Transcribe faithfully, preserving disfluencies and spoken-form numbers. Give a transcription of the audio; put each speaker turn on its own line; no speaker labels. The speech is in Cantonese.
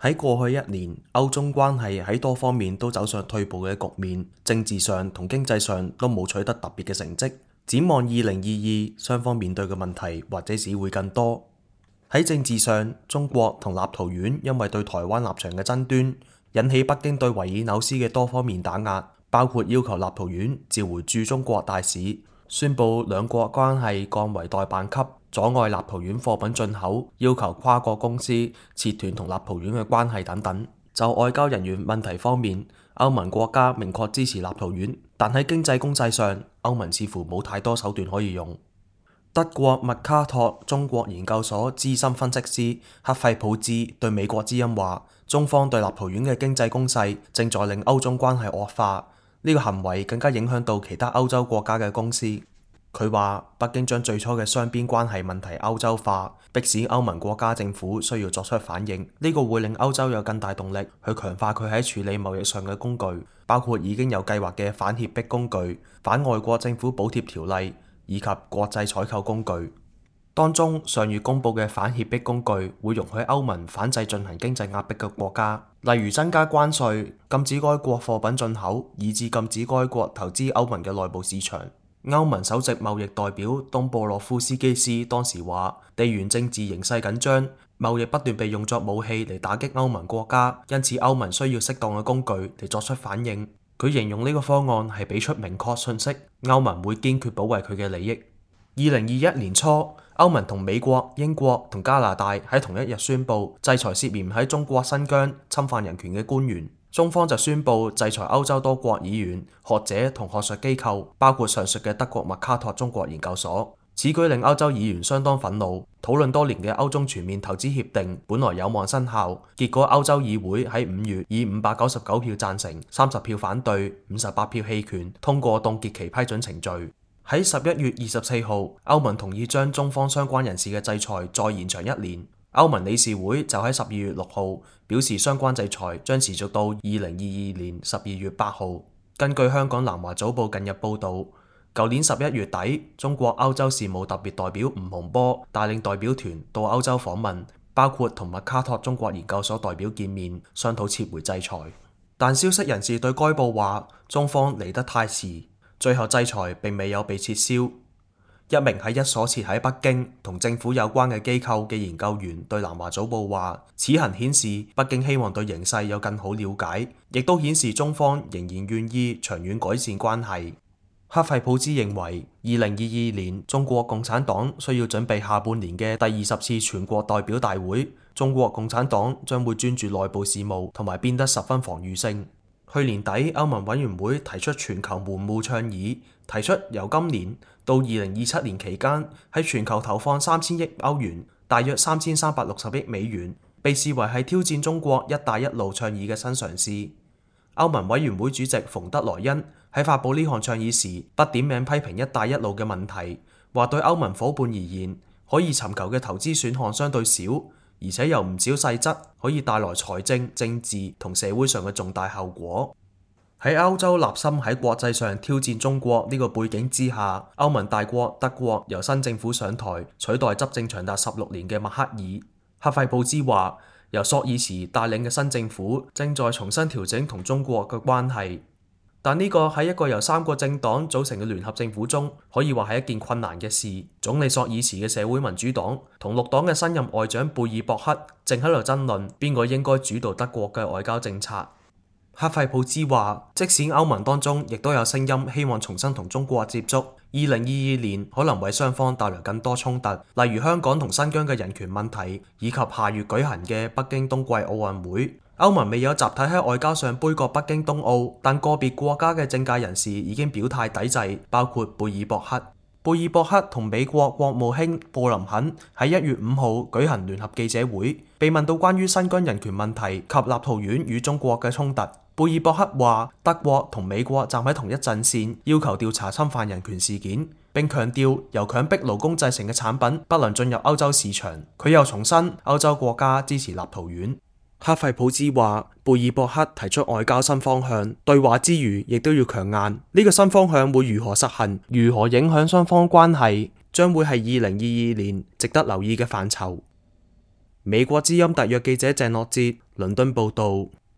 喺過去一年，歐中關係喺多方面都走上退步嘅局面，政治上同經濟上都冇取得特別嘅成績。展望二零二二，雙方面對嘅問題或者只會更多。喺政治上，中國同立陶宛因為對台灣立場嘅爭端，引起北京對維爾紐斯嘅多方面打壓，包括要求立陶宛召回駐中國大使，宣布兩國關係降為代辦級，阻礙立陶宛貨品進口，要求跨國公司切斷同立陶宛嘅關係等等。就外交人員問題方面，歐盟國家明確支持立陶宛，但喺經濟公制上，歐盟似乎冇太多手段可以用。德國麥卡托中國研究所資深分析師克費普茲對美國之音話，中方對立陶宛嘅經濟攻勢正在令歐中關係惡化，呢個行為更加影響到其他歐洲國家嘅公司。佢話北京將最初嘅雙邊關係問題歐洲化，迫使歐盟國家政府需要作出反應，呢個會令歐洲有更大動力去強化佢喺處理貿易上嘅工具，包括已經有計劃嘅反脅迫工具、反外國政府補貼條例以及國際採購工具。當中上月公佈嘅反脅迫工具會容許歐盟反制進行經濟壓迫嘅國家，例如增加關稅、禁止該國貨品進口，以至禁止該國投資歐盟嘅內部市場。歐盟首席貿易代表東布洛夫斯基斯當時話，地緣政治形勢緊張，貿易不斷被用作武器嚟打擊歐盟國家，因此歐盟需要適當嘅工具嚟作出反應。佢形容呢個方案係俾出明確訊息，歐盟會堅決保衛佢嘅利益。二零二一年初，歐盟同美國、英國同加拿大喺同一日宣布制裁涉嫌喺中國新疆侵犯人權嘅官員。中方就宣布制裁歐洲多國議員、學者同學術機構，包括上述嘅德國麥卡托中國研究所。此舉令歐洲議員相當憤怒。討論多年嘅歐中全面投資協定本來有望生效，結果歐洲議會喺五月以五百九十九票贊成、三十票反對、五十八票棄權通過凍結其批准程序。喺十一月二十四號，歐盟同意將中方相關人士嘅制裁再延長一年。歐盟理事會就喺十二月六號表示，相關制裁將持續到二零二二年十二月八號。根據香港南華早報近日報導，舊年十一月底，中國歐洲事務特別代表吳洪波帶領代表團到歐洲訪問，包括同麥卡托中國研究所代表見面，商討撤回制裁。但消息人士對該報話，中方嚟得太遲，最後制裁並未有被撤銷。一名喺一所設喺北京同政府有關嘅機構嘅研究員對南華早報話，此行顯示北京希望對形勢有更好了解，亦都顯示中方仍然願意長遠改善關係。克費普茲認為，二零二二年中國共產黨需要準備下半年嘅第二十次全國代表大會，中國共產黨將會專注內部事務同埋變得十分防禦性。去年底，歐盟委員會提出全球門戶倡議，提出由今年到二零二七年期間喺全球投放三千億歐元，大約三千三百六十億美元，被視為係挑戰中國一帶一路倡議嘅新嘗試。歐盟委員會主席馮德萊恩喺發佈呢項倡議時，不點名批評一帶一路嘅問題，話對歐盟夥伴而言，可以尋求嘅投資選項相對少，而且有唔少細則可以帶來財政、政治同社會上嘅重大後果。喺歐洲立心喺國際上挑戰中國呢個背景之下，歐盟大國德國由新政府上台，取代執政長達十六年嘅默克爾。克費普茲話，由朔爾茨帶領嘅新政府正在重新調整同中國嘅關係，但呢個喺一個由三個政黨組成嘅聯合政府中，可以話係一件困難嘅事。總理朔爾茨嘅社會民主黨同綠黨嘅新任外長貝爾博克正喺度爭論邊個應該主導德國嘅外交政策。克費普茲話，即使歐盟當中亦都有聲音希望重新同中國接觸，二零二二年可能為雙方帶來更多衝突，例如香港同新疆嘅人權問題，以及下月舉行嘅北京冬季奧運會。歐盟未有集體喺外交上杯葛北京冬奧，但個別國家嘅政界人士已經表態抵制，包括貝爾博克。貝爾博克同美國國務卿布林肯喺一月五號舉行聯合記者會，被問到關於新疆人權問題及立陶宛與中國嘅衝突。貝爾博克話，德國同美國站喺同一陣線，要求調查侵犯人權事件，並強調由強迫勞工製成嘅產品不能進入歐洲市場。佢又重申歐洲國家支持立陶宛。克費普茲話，貝爾博克提出外交新方向，對話之餘亦都要強硬。呢、這個新方向會如何實行，如何影響雙方關係，將會係二零二二年值得留意嘅範疇。美國之音特約記者鄭樂哲倫敦報道。